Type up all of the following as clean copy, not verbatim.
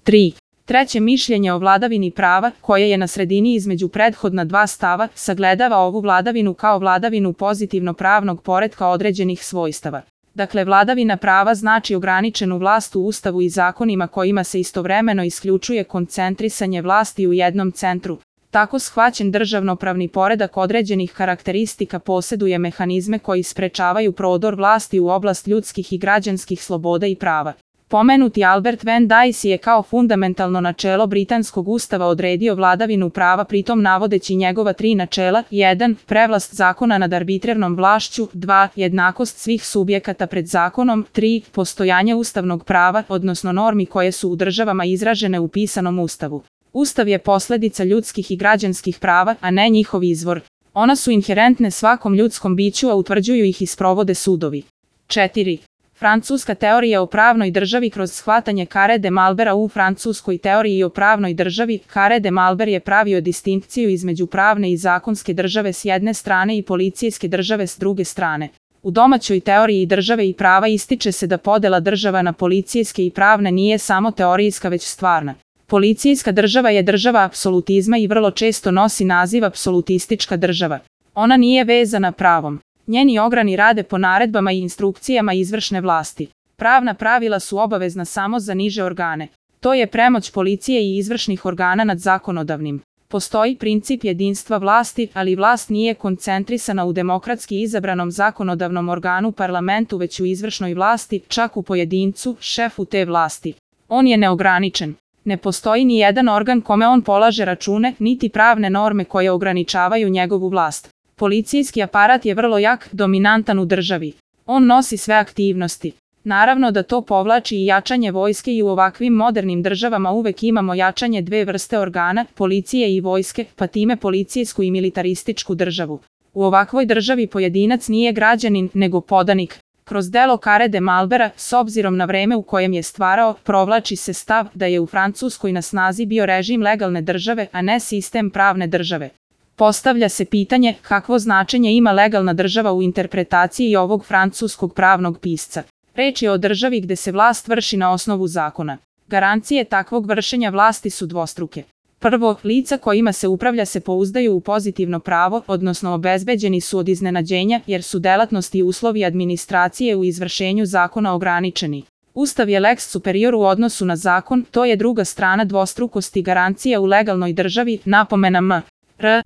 3. Treće mišljenje o vladavini prava, koje je na sredini između prethodna dva stava, sagledava ovu vladavinu kao vladavinu pozitivno pravnog poretka određenih svojstava. Dakle, vladavina prava znači ograničenu vlast u Ustavu i zakonima kojima se istovremeno isključuje koncentrisanje vlasti u jednom centru. Tako shvaćen državnopravni poredak određenih karakteristika posjeduje mehanizme koji sprečavaju prodor vlasti u oblast ljudskih i građanskih sloboda i prava. Pomenuti Albert Van Dicey je kao fundamentalno načelo britanskog ustava odredio vladavinu prava, pritom navodeći njegova tri načela: 1. Prevlast zakona nad arbitrarnom vlašću, 2. Jednakost svih subjekata pred zakonom, 3. Postojanje ustavnog prava, odnosno normi koje su u državama izražene u pisanom ustavu. Ustav je posljedica ljudskih i građanskih prava, a ne njihov izvor. Ona su inherentne svakom ljudskom biću, a utvrđuju ih i sprovode sudovi. 4. Francuska teorija o pravnoj državi kroz shvatanje Carré de Malbera. U francuskoj teoriji o pravnoj državi, Carré de Malber je pravio distinkciju između pravne i zakonske države s jedne strane i policijske države s druge strane. U domaćoj teoriji države i prava ističe se da podela država na policijske i pravne nije samo teorijska već stvarna. Policijska država je država apsolutizma i vrlo često nosi naziv apsolutistička država. Ona nije vezana pravom. Njeni ograni rade po naredbama i instrukcijama izvršne vlasti. Pravna pravila su obavezna samo za niže organe. To je premoć policije i izvršnih organa nad zakonodavnim. Postoji princip jedinstva vlasti, ali vlast nije koncentrisana u demokratski izabranom zakonodavnom organu parlamentu, već u izvršnoj vlasti, čak u pojedincu, šefu te vlasti. On je neograničen. Ne postoji ni jedan organ kome on polaže račune, niti pravne norme koje ograničavaju njegovu vlast. Policijski aparat je vrlo jak, dominantan u državi. On nosi sve aktivnosti. Naravno da to povlači i jačanje vojske i u ovakvim modernim državama uvek imamo jačanje dve vrste organa, policije i vojske, pa time policijsku i militarističku državu. U ovakvoj državi pojedinac nije građanin, nego podanik. Kroz delo Carré de Malbera, s obzirom na vreme u kojem je stvarao, provlači se stav da je u Francuskoj na snazi bio režim legalne države, a ne sistem pravne države. Postavlja se pitanje kakvo značenje ima legalna država u interpretaciji ovog francuskog pravnog pisca. Reč je o državi gde se vlast vrši na osnovu zakona. Garancije takvog vršenja vlasti su dvostruke. Prvo, lica kojima se upravlja se pouzdaju u pozitivno pravo, odnosno obezbeđeni su od iznenađenja, jer su delatnosti i uslovi administracije u izvršenju zakona ograničeni. Ustav je lex superior u odnosu na zakon, to je druga strana dvostrukosti garancija u legalnoj državi, napomena m.r.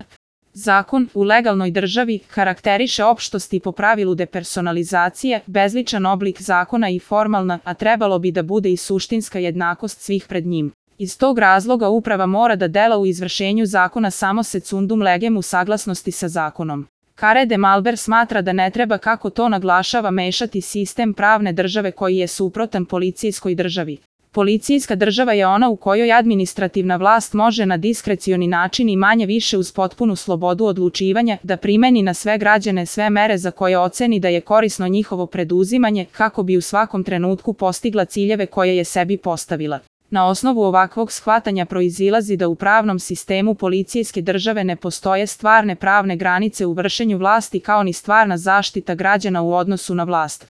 Zakon u legalnoj državi karakteriše opštosti po pravilu depersonalizacije, bezličan oblik zakona i formalna, a trebalo bi da bude i suštinska jednakost svih pred njim. Iz tog razloga uprava mora da dela u izvršenju zakona samo secundum legem u saglasnosti sa zakonom. Carré de Malber smatra da ne treba, kako to naglašava, mešati sistem pravne države koji je suprotan policijskoj državi. Policijska država je ona u kojoj administrativna vlast može na diskrecioni način i manje više uz potpunu slobodu odlučivanja da primeni na sve građane sve mere za koje oceni da je korisno njihovo preduzimanje kako bi u svakom trenutku postigla ciljeve koje je sebi postavila. Na osnovu ovakvog shvatanja proizilazi da u pravnom sistemu policijske države ne postoje stvarne pravne granice u vršenju vlasti kao ni stvarna zaštita građana u odnosu na vlast.